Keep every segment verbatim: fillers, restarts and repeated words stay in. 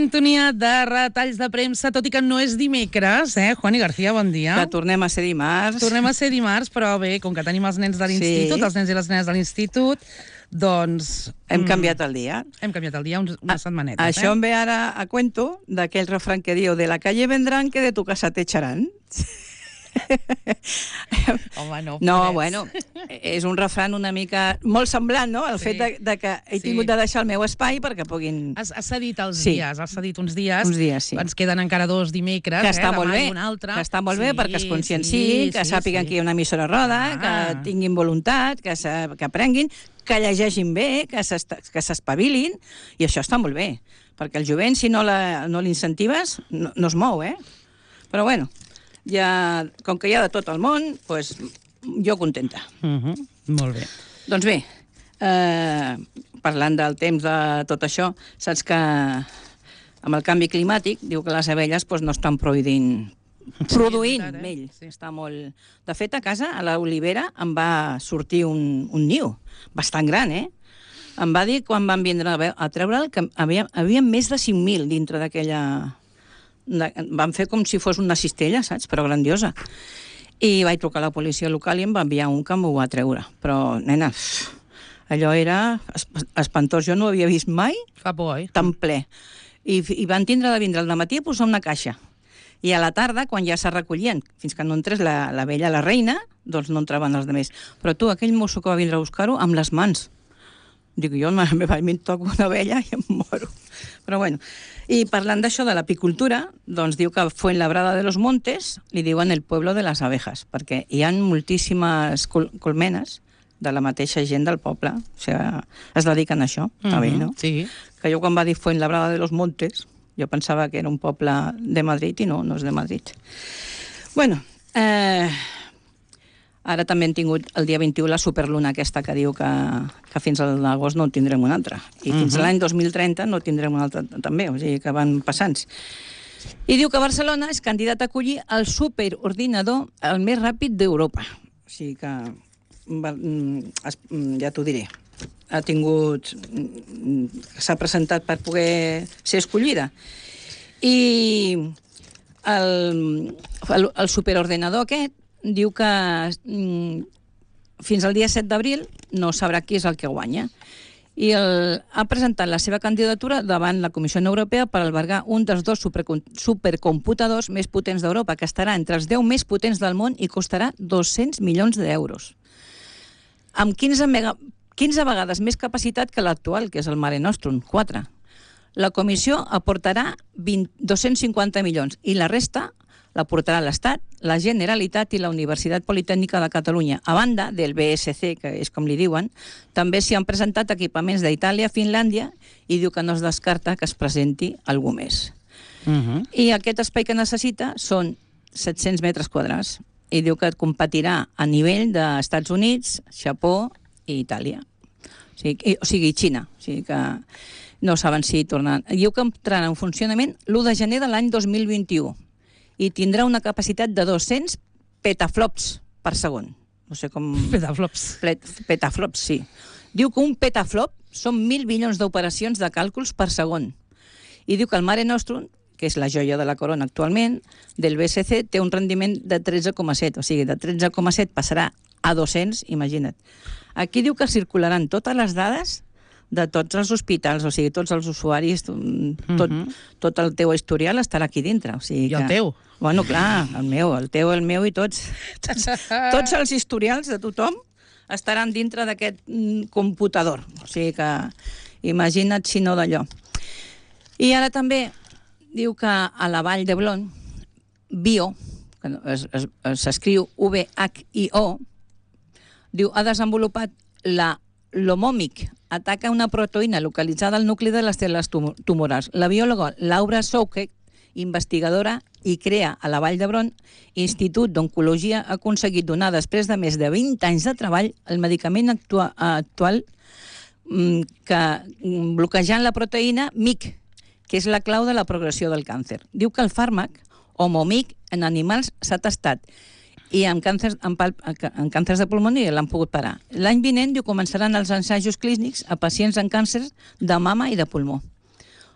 sintonia de retalls de premsa, tot i que no és dimecres, eh? Juani García, bon dia. Que tornem a ser dimarts. Tornem a ser dimarts, però bé, com que tenim els nens de l'institut, sí. els nens i les nenes de l'institut, doncs... Hem canviat el dia. Hem canviat el dia uns, unes setmanetes, a, eh? Això em ve ara a cuento d'aquell refrán que diu de la calle vendrán que de tu casa te echarán. Home, no, no, bueno, és un refrán una mica molt semblant, no? El sí. fet de, de que he sí. tingut de deixar el meu espai perquè puguin... Has, has cedit els sí. dies, has cedit uns dies. Uns dies, sí. Ens queden encara dos dimecres, que està eh? molt bé, un altre. que està molt sí, bé perquè es conscienciïn, sí, que sí, sàpiguen sí. que hi ha una emissora roda, ah. que tinguin voluntat, que, se, que aprenguin, que llegeixin bé, que s'espavilin, i això està molt bé, perquè el jovent, si no l'incentives, no, no es mou, eh? Però bueno, ja, com que hi ha de tot el món, doncs jo contenta. Uh -huh. Molt bé. Doncs bé, eh, parlant del temps de tot això, saps que amb el canvi climàtic diu que les abelles doncs, no estan produint, produint sí, mell. Sí. Està molt... De fet, a casa, a l'olivera, em va sortir un, un niu bastant gran, eh? Em va dir, quan van vindre a, a treure'l, que havia, havia més de cinc mil dintre d'aquella... Van fer com si fos una cistella, saps? Però grandiosa. I vaig trucar a la policia local i em va enviar un que m'ho va treure. Però, nena, allò era espantós. Jo no ho havia vist mai Fa por, oi? Tan ple. I, I van tindre de vindre al dematí a posar una caixa. I a la tarda, quan ja se recollien, fins que no entrés la, la vella, la reina, doncs no entraven els altres. Però tu, aquell mosso que va vindre a buscar-ho, amb les mans. Dic, jo em toco una vella i em moro. Però bueno, i parlant d'això de l'apicultura, doncs diu que Fuenlabrada de los Montes li diuen el pueblo de les abejas, perquè hi ha moltíssimes col colmenes de la mateixa gent del poble, o sigui, es dediquen a això, està bé, no? Sí. Que jo quan va dir Fuenlabrada de los Montes, jo pensava que era un poble de Madrid i no, no és de Madrid. Bueno, eh... ara també hem tingut el dia vint-i-u la superluna aquesta que diu que, que fins a l'agost no en tindrem una altra. I fins uh -huh. a l'any dos mil trenta no tindrem una altra també, o sigui que van passant. I diu que Barcelona és candidat a acollir el superordinador el més ràpid d'Europa. O sigui que, ja t'ho diré, ha tingut... s'ha presentat per poder ser escollida. I el, el, el superordinador aquest diu que mm, fins al dia set d'abril no sabrà qui és el que guanya. I el, ha presentat la seva candidatura davant la Comissió Europea per albergar un dels dos super, supercomputadors més potents d'Europa, que estarà entre els deu més potents del món i costarà dos-cents milions d'euros. Amb quinze, mega, quinze vegades més capacitat que l'actual, que és el Mare Nostrum, quatre. La Comissió aportarà dos-cents cinquanta milions i la resta la portarà l'Estat, la Generalitat i la Universitat Politècnica de Catalunya. A banda del B S C, que és com li diuen, també s'hi han presentat equipaments d'Itàlia, Finlàndia, i diu que no es descarta que es presenti algú més. Uh -huh. I aquest espai que necessita són set-cents metres quadrats, i diu que competirà a nivell d'Estats Units, Japó i Itàlia. O sigui, o sigui Xina. O sigui que no saben si tornen. Diu que entrarà en funcionament l'u de gener de l'any dos mil vint-i-u. I tindrà una capacitat de dos-cents petaflops per segon. No sé com... Petaflops. Petaflops, sí. Diu que un petaflop són mil milions d'operacions de càlculs per segon. I diu que el Mare Nostrum, que és la joia de la corona actualment, del B S C, té un rendiment de tretze coma set. O sigui, de tretze coma set passarà a dos-cents, imagina't. Aquí diu que circularan totes les dades de tots els hospitals, o sigui, tots els usuaris, tot, uh -huh. tot el teu historial estarà aquí dintre. O sigui que... I el teu? Bueno, clar, el meu, el teu, el meu i tots. Tots, tots els historials de tothom estaran dintre d'aquest computador. O sigui que imagina't si no d'allò. I ara també diu que a la Vall d'Hebron, Bio, que s'escriu V H I O, diu, ha desenvolupat la l'Homòmic, ataca una proteïna localitzada al nucli de les cèl·lules tumorals. La biòloga Laura Souquet, investigadora i crea a la Vall d'Hebron, Institut d'Oncologia, ha aconseguit donar, després de més de vint anys de treball, el medicament actua actual que bloquejant la proteïna M I C, que és la clau de la progressió del càncer. Diu que el fàrmac, Homòmic, en animals s'ha tastat i en càncers, en, pal, en càncers de pulmó l'han pogut parar. L'any vinent diu, començaran els ensajos clínics a pacients amb càncers de mama i de pulmó.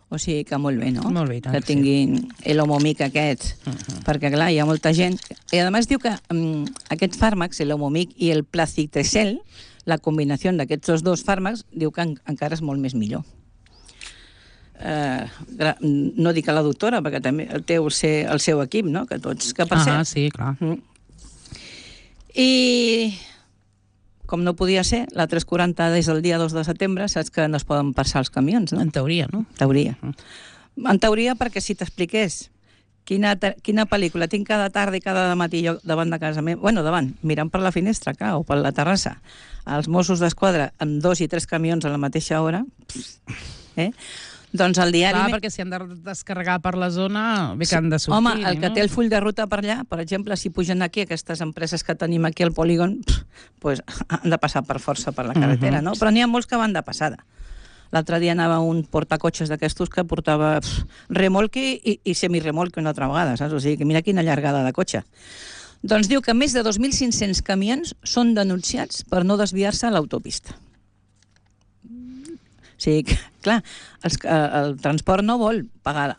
O sigui que molt bé, no? Molt bé, tant, que tinguin sí. l'homomic aquest, uh-huh. perquè clar, hi ha molta gent... I a més diu que um, aquests fàrmacs, l'homomic i el plastitresel, la combinació d'aquests dos fàrmacs, diu que en, encara és molt més millor. Uh, no dic a la doctora, perquè també té el, ser, el seu equip, no? Que tots, que per ah, cert... sí, clar. Mm. I, com no podia ser, la tres quaranta des del dia dos de setembre, saps que no es poden passar els camions, no? En teoria, no? En teoria. Mm. En teoria, perquè si t'expliqués quina, quina pel·lícula tinc cada tarda i cada matí jo davant de casa meva, bueno, davant, mirant per la finestra, clar, o per la terrassa, els Mossos d'Esquadra amb dos i tres camions a la mateixa hora, eh? Doncs el diari... Clar, perquè si han de descarregar per la zona, bé que han de sortir. Home, el que no? té el full de ruta per allà, per exemple, si pugen aquí aquestes empreses que tenim aquí al polígon, pues, han de passar per força per la carretera, uh-huh. no? Però n'hi ha molts que van de passada. L'altre dia anava un portacotxes d'aquestos que portava pff, remolque i, i semiremolque una altra vegada, saps? O sigui, que mira quina llargada de cotxe. Doncs diu que més de dos mil cinc-cents camions són denunciats per no desviar-se a l'autopista. O sigui, clar, els, el transport no vol pagar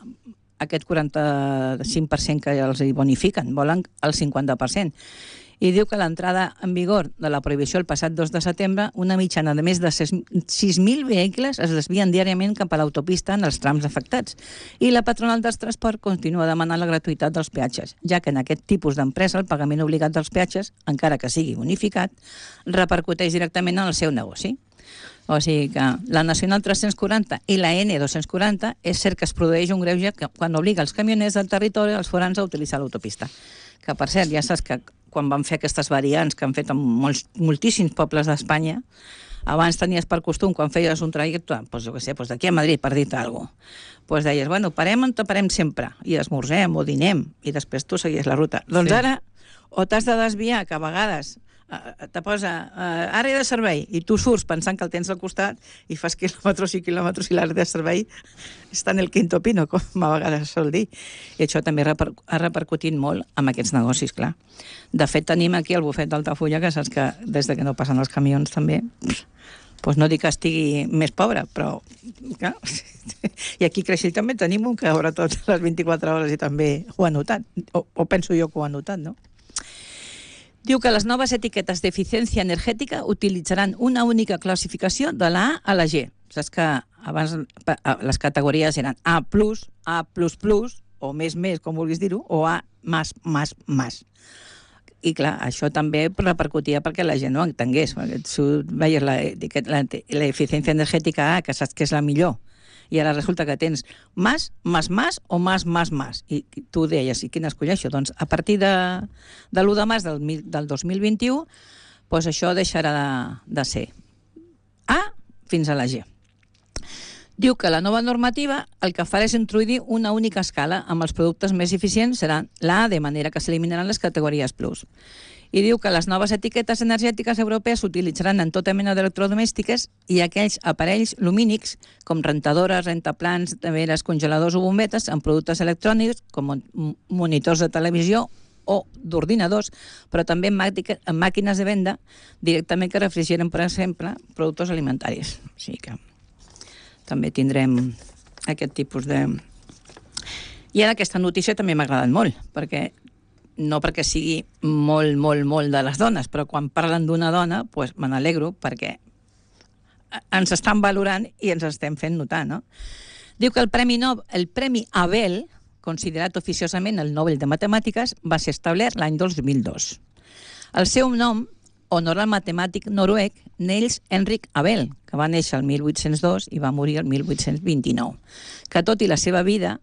aquest quaranta-cinc per cent que els hi bonifiquen, volen el cinquanta per cent. I diu que l'entrada en vigor de la prohibició el passat dos de setembre, una mitjana de més de sis mil vehicles es desvien diàriament cap a l'autopista en els trams afectats. I la patronal del transport continua demanant la gratuïtat dels peatges, ja que en aquest tipus d'empresa el pagament obligat dels peatges, encara que sigui bonificat, repercuteix directament en el seu negoci. O sigui que la Nacional tres-cents quaranta i la N dos-cents quaranta és cert que es produeix un greuge quan obliga els camioners del territori als forans a utilitzar l'autopista. Que, per cert, ja saps que quan van fer aquestes variants que han fet en molts, moltíssims pobles d'Espanya, abans tenies per costum, quan feies un trajecte, doncs jo què sé, doncs d'aquí a Madrid, per dir-te alguna cosa, doncs deies, bueno, parem on te parem sempre, i esmorzem o dinem, i després tu seguies la ruta. Doncs sí. Ara, o t'has de desviar, que a vegades te posa uh, àrea de servei i tu surts pensant que el tens al costat i fas quilòmetres i quilòmetres i l'àrea de servei està en el quinto pino, com a vegades sol dir. I això també reper ha repercutit molt amb aquests negocis, clar. De fet, tenim aquí el bufet d'Altafulla, que saps que des de que no passen els camions també, doncs no dic que estigui més pobre, però clar, i aquí a Creixell també tenim un que obre totes les vint-i-quatre hores i també ho ha notat, o, o penso jo que ho ha notat, no? Diu que les noves etiquetes d'eficiència energètica utilitzaran una única classificació de la A a la G. Saps que abans les categories eren A plus, A plus plus, o més més, com vulguis dir-ho, o A més, més, més. I clar, això també repercutia perquè la gent no entengués. Si veies l'eficiència energètica A, que saps que és la millor, i ara resulta que tens més, més, més o més, més, més. I tu deies, i quina escolleixo? Doncs a partir de, de l'u de març del, del dos mil vint-i-u, doncs això deixarà de, de ser A fins a la G. Diu que la nova normativa el que farà és introduir una única escala amb els productes més eficients seran la A, de manera que s'eliminaran les categories plus. I diu que les noves etiquetes energètiques europees s'utilitzaran en tota mena d'electrodomèstiques i aquells aparells lumínics com rentadores, rentaplans, neveres, congeladors o bombetes amb productes electrònics com monitors de televisió o d'ordinadors, però també en màquines de venda directament que refrigeren, per exemple, productes alimentaris. O sigui que també tindrem aquest tipus de... I ara aquesta notícia també m'ha agradat molt, perquè no perquè sigui molt, molt, molt de les dones, però quan parlen d'una dona, doncs me n'alegro perquè ens estan valorant i ens estem fent notar, no? Diu que el Premi, no, el Premi Abel, considerat oficiosament el Nobel de Matemàtiques, va ser establert l'any dos mil dos. El seu nom honora el matemàtic noruec Niels Henrik Abel, que va néixer el mil vuit-cents dos i va morir el mil vuit-cents vint-i-nou, que tot i la seva vida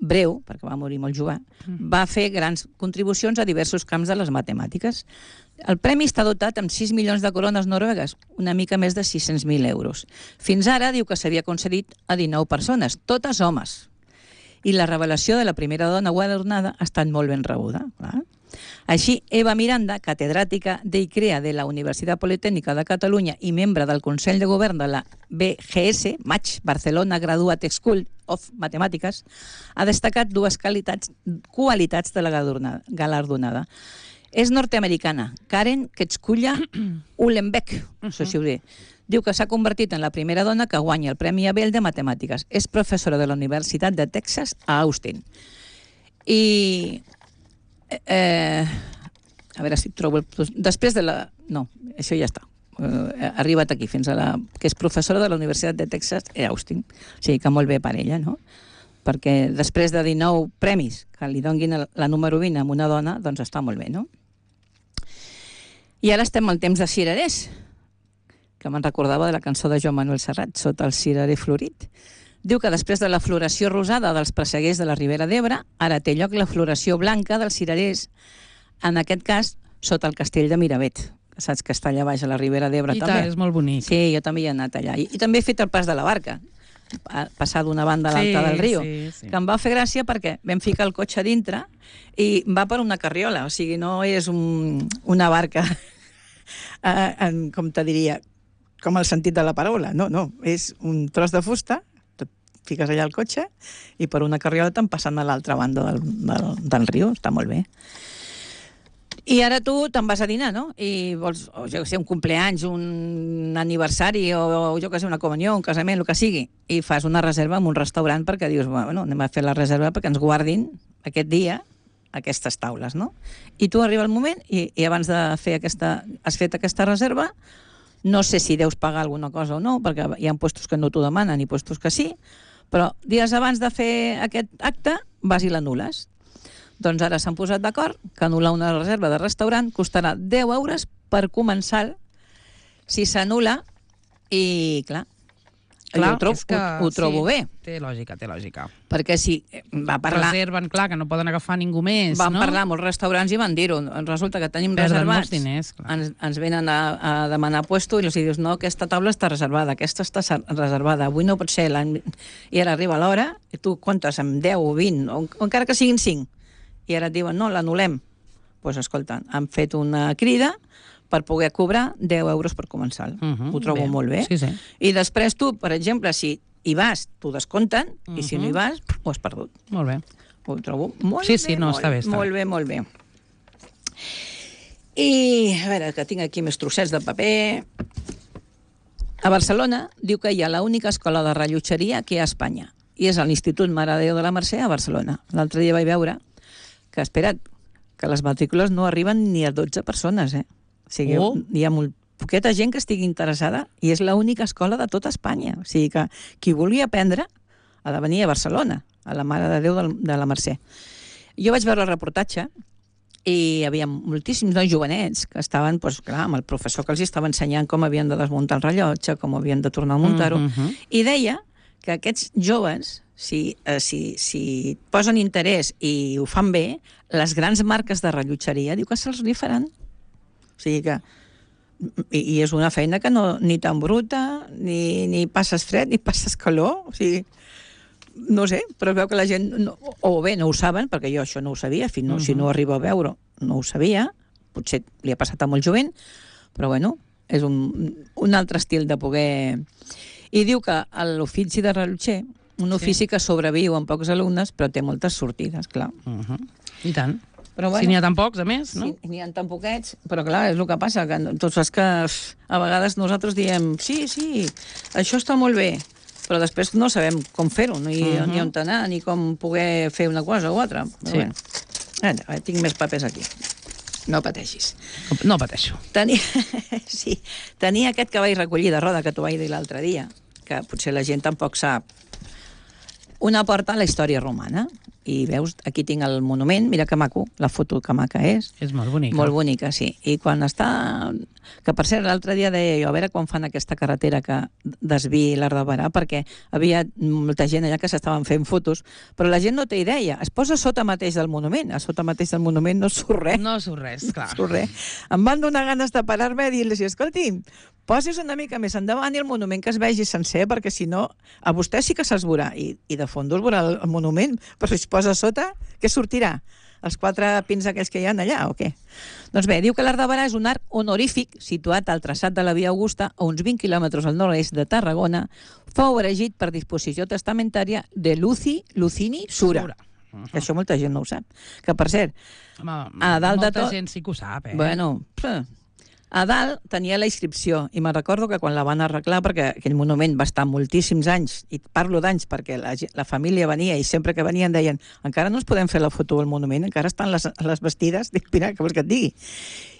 breu, perquè va morir molt jove, va fer grans contribucions a diversos camps de les matemàtiques. El premi està dotat amb sis milions de corones noruegues, una mica més de sis-cents mil euros. Fins ara diu que s'havia concedit a dinou persones, totes homes. I la revelació de la primera dona guardonada ha estat molt ben rebuda. Clar. Així, Eva Miranda, catedràtica d'ICREA de la Universitat Politècnica de Catalunya i membre del Consell de Govern de la B G S, Match, Barcelona Graduate School of Mathematics, ha destacat dues qualitats, qualitats de la galardonada. És nord-americana, Karen Ketchkulla Uhlenbeck, no sé si ho diré. Diu que s'ha convertit en la primera dona que guanya el Premi Abel de Matemàtiques. És professora de la Universitat de Texas a Austin. I... Eh, a veure si trobo... El... Després de la... No, això ja està. Uh, ha arribat aquí, fins a la... que és professora de la Universitat de Texas a Austin. O sigui que molt bé per ella, no? Perquè després de dinou premis que li donguin la número vint a una dona, doncs està molt bé, no? I ara estem al temps de cirerers, que me'n recordava de la cançó de Joan Manuel Serrat, Sota el cirerer florit. Diu que després de la floració rosada dels presseguers de la Ribera d'Ebre, ara té lloc la floració blanca dels cirerers, en aquest cas, sota el castell de Miravet, que saps que està allà baix a la Ribera d'Ebre també. I tant, és molt bonic. Sí, jo també hi he anat allà. I, i també he fet el pas de la barca, passar d'una banda a l'altra sí, del riu, sí, sí. que em va fer gràcia perquè vam ficar el cotxe dintre i va per una carriola, o sigui, no és un, una barca, en, com te diria, com el sentit de la paraula, no, no, és un tros de fusta, fiques allà el cotxe i per una carriola te'n passant a l'altra banda del, del, del riu, està molt bé. I ara tu te'n vas a dinar, no? I vols, o jo sé, un compleanys, un aniversari, o, o jo que sé, una comunió, un casament, el que sigui, i fas una reserva en un restaurant perquè dius, bueno, anem a fer la reserva perquè ens guardin aquest dia aquestes taules, no? I tu arriba el moment i, i abans de fer aquesta... has fet aquesta reserva, no sé si deus pagar alguna cosa o no, perquè hi ha puestos que no t'ho demanen i puestos que sí, però dies abans de fer aquest acte vas i l'anules. Doncs ara s'han posat d'acord que anul·lar una reserva de restaurant costarà deu euros per començar si s'anul·la i, clar, clar jo ho, trobo, que, ho, ho trobo sí, bé. Té lògica, té lògica. Perquè si va parlar... Reserven, clar, que no poden agafar ningú més, van no? Van parlar amb els restaurants i van dir-ho. Resulta que tenim Perden reservats. molts diners, clar. Ens, ens venen a, a demanar puesto i els dius, no, aquesta taula està reservada, aquesta està reservada, avui no pot ser. I ara arriba l'hora i tu comptes amb deu o vint, o, o encara que siguin cinc. I ara et diuen, no, l'anul·lem. Doncs pues, escolta, han fet una crida per poder cobrar deu euros per començar. Uh -huh, ho trobo bé. molt bé. Sí, sí. I després tu, per exemple, si hi vas, t'ho descompten, uh -huh. i si no hi vas, ho has perdut. Molt bé. Ho trobo molt sí, bé, sí, no, molt, està bé, està molt bé, molt bé. I, a veure, que tinc aquí més trossets de paper. A Barcelona diu que hi ha l'única escola de rellotgeria que hi ha a Espanya, i és l'Institut Mare de Déu de la Mercè a Barcelona. L'altre dia vaig veure que, espera't, que les matrícules no arriben ni a dotze persones, eh? O sigui, oh. hi ha molt poqueta gent que estigui interessada i és l'única escola de tota Espanya. O sigui que qui vulgui aprendre ha de venir a Barcelona, a la Mare de Déu de la Mercè. Jo vaig veure el reportatge i hi havia moltíssims nois jovenets que estaven, doncs, clar, amb el professor que els estava ensenyant com havien de desmuntar el rellotge, com havien de tornar a muntar-ho, mm -hmm. i deia que aquests joves, si, eh, si, si posen interès i ho fan bé, les grans marques de rellotgeria diu que se'ls rifaran. O sigui que... I, i és una feina que no ni tan bruta, ni, ni passes fred, ni passes calor. O sigui, no sé, però es veu que la gent... No, o bé, no ho saben, perquè jo això no ho sabia, fins no, uh -huh. si no arribo a veure, no ho sabia. Potser li ha passat a molt jovent, però bueno, és un, un altre estil de poder... I diu que l'ofici de rellotger, un ofici sí. que sobreviu amb pocs alumnes, però té moltes sortides, clar. Uh -huh. I tant. Però bueno, si n'hi ha tan pocs, a més, no? Si n'hi ha tan poquets, però clar, és el que passa, que tu saps que a vegades nosaltres diem sí, sí, això està molt bé, però després no sabem com fer-ho, ni, uh -huh. ni on anar, ni com poder fer una cosa o altra. Però sí. Bueno, ara, tinc més papers aquí. No pateixis. No pateixo. Tenia, sí, tenia aquest que vaig recollir de roda que t'ho vaig dir l'altre dia, que potser la gent tampoc sap. Una porta a la història romana. I veus, aquí tinc el monument, mira que maco, la foto que maca és. És molt bonica. Molt bonica, sí. I quan està... Que per cert, l'altre dia deia jo, a veure quan fan aquesta carretera que desviï l'Arc de Barà, perquè havia molta gent allà que s'estaven fent fotos, però la gent no té idea. Es posa sota mateix del monument. A sota mateix del monument no surt res. No surt res, clar. No surt res. Em van donar ganes de parar-me i dir-los, escolti, posis una mica més endavant i el monument que es vegi sencer, perquè si no, a vostè sí que se'ls veurà. I, i de fons es veurà el, el monument, però si es posa a sota, què sortirà? Els quatre pins aquells que hi ha allà, o què? Doncs bé, diu que l'Arc de Barà és un arc honorífic situat al traçat de la Via Augusta, a uns vint quilòmetres al nord-est de Tarragona, fou erigit per disposició testamentària de Luci Lucini Sura. Sura. Uh -huh. Això molta gent no ho sap. Que, per cert, Home, a dalt molta de tot... gent sí que ho sap, eh? Bueno, A dalt tenia la inscripció, i me'n recordo que quan la van arreglar, perquè aquell monument va estar moltíssims anys, i parlo d'anys perquè la, la família venia i sempre que venien deien encara no ens podem fer la foto al monument, encara estan les, les vestides. Dic, mira, què vols que et digui?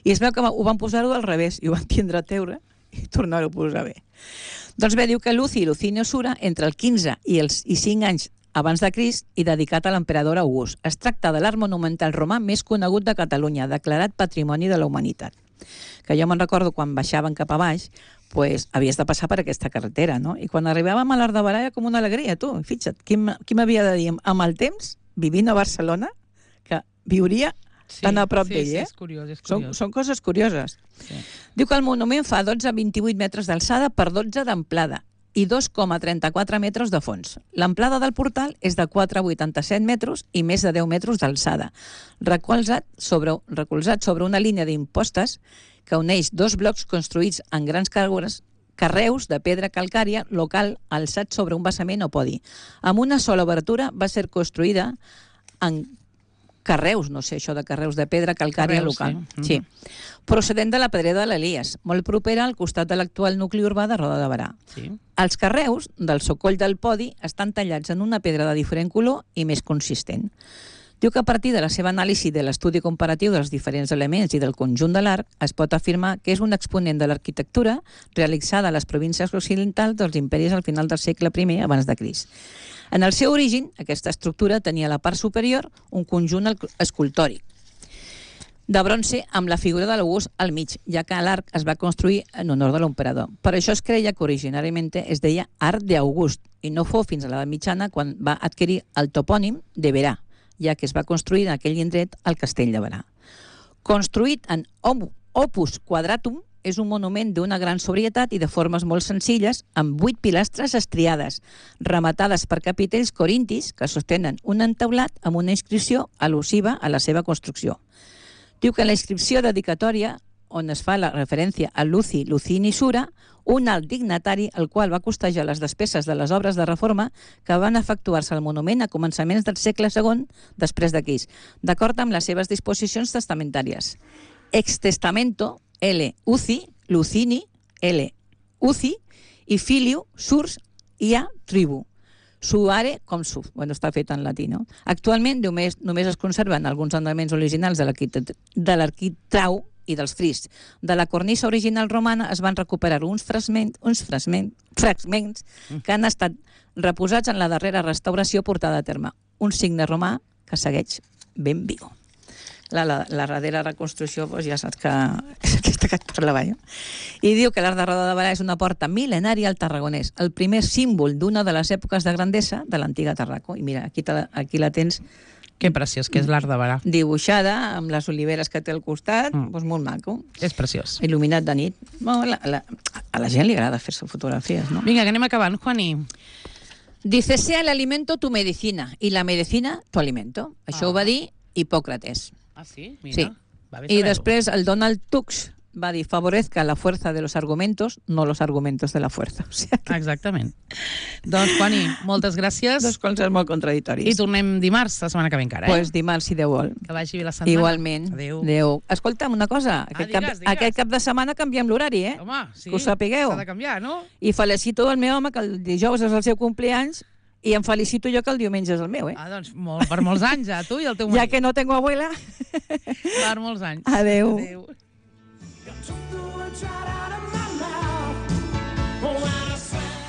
I es veu que ho van posar-ho al revés, i ho van tindre a teure i tornar-ho a posar bé. Doncs bé, diu que Luci Lucinio Sura, entre el quinze i els i cinc anys abans de Crist i dedicat a l'emperador August. Es tracta de l'art monumental romà més conegut de Catalunya, declarat Patrimoni de la Humanitat. Que jo me'n recordo quan baixaven cap a baix, pues, havies de passar per aquesta carretera, no? I quan arribàvem a l'Arc de Berà era com una alegria, tu. Fixa't, qui m'havia de dir amb el temps, vivint a Barcelona, que viuria sí, tan a prop sí, d'ell, sí, eh? és curiós, és són, curiós. són coses curioses. Sí. Diu que el monument fa dotze a vint-i-vuit metres d'alçada per dotze d'amplada i dos coma trenta-quatre metres de fons. L'amplada del portal és de quatre coma vuitanta-set metres i més de deu metres d'alçada, recolzat sobre, recolzat sobre una línia d'impostes que uneix dos blocs construïts en grans carreus, carreus de pedra calcària local alçats sobre un basament o podi. Amb una sola obertura va ser construïda en carreus, no sé, això de carreus de pedra calcària carreus, local. Sí. sí. Procedent de la Pedrera de l'Elies, molt propera al costat de l'actual nucli urbà de Roda de Berà. Sí. Els carreus del socoll del podi estan tallats en una pedra de diferent color i més consistent. Diu que a partir de la seva anàlisi de l'estudi comparatiu dels diferents elements i del conjunt de l'arc, es pot afirmar que és un exponent de l'arquitectura realitzada a les províncies occidentals dels imperis al final del segle primer abans de Crist. En el seu origen, aquesta estructura tenia a la part superior un conjunt escultòric de bronze amb la figura de l'August al mig, ja que l'arc es va construir en honor de l'emperador. Per això es creia que originàriament es deia Arc d'August i no fou fins a l'edat mitjana quan va adquirir el topònim de Berà, ja que es va construir en aquell indret el castell de Berà. Construït en opus quadratum, és un monument d'una gran sobrietat i de formes molt senzilles, amb vuit pilastres estriades, rematades per capitells corintis que sostenen un entaulat amb una inscripció al·lusiva a la seva construcció. Diu que en la inscripció dedicatòria, on es fa la referència a Luci Lucini Sura, un alt dignatari al qual va costejar les despeses de les obres de reforma que van efectuar-se al monument a començaments del segle segon després de Crist, d'acord amb les seves disposicions testamentàries. Ex testamento L. Uci, Lucini, L. Uci, i filiu Surs ia tribu. Suare com su. Bueno, està fet en latí, no? Actualment només, només es conserven alguns elements originals de l'arquitrau i dels fris. De la cornisa original romana es van recuperar uns fragments, uns fragments, fragments que han estat reposats en la darrera restauració portada a terme. Un signe romà que segueix ben viu. La, la, la darrera reconstrucció, doncs ja saps que és aquesta que et parlava jo. I diu que l'Arc de Roda de Berà és una porta mil·lenària al Tarragonès, el primer símbol d'una de les èpoques de grandesa de l'antiga Tarraco. I mira, aquí, te, aquí la tens... Que preciós, que és l'Arc de Berà. Dibuixada, amb les oliveres que té al costat, mm. doncs molt maco. És preciós. Il·luminat de nit. Bueno, la, la, a la gent li agrada fer-se fotografies, no? Vinga, que anem acabant, Juani. Dice, sea el alimento tu medicina i la medicina tu alimento. Això ah. ho va dir Hipòcrates. Ah, sí? Mira. Sí. Va bé I saber-ho. després el Donald Tusk va dir, favorezca la fuerza de los argumentos, no los argumentos de la fuerza. O sigui que... Exactament. Doncs, Juani, moltes gràcies. Dos coses molt contradictòries. I tornem dimarts, la setmana que ve encara, eh? Pues dimarts, si Déu vol. Que vagi bé la setmana. Igualment. Adéu. Adéu. Escolta'm una cosa, Ah, aquest, digues, cap, digues. aquest cap de setmana canviem l'horari, eh? Home, sí. Que ho sapigueu. S'ha de canviar, no? I felicito el meu home, que el dijous és el seu compleanys, i em felicito jo que el diumenge és el meu, eh? Ah, doncs, molt, per molts anys, a tu i al teu marit. Ja que no tengo abuela. Per molts anys. Adéu. Adéu.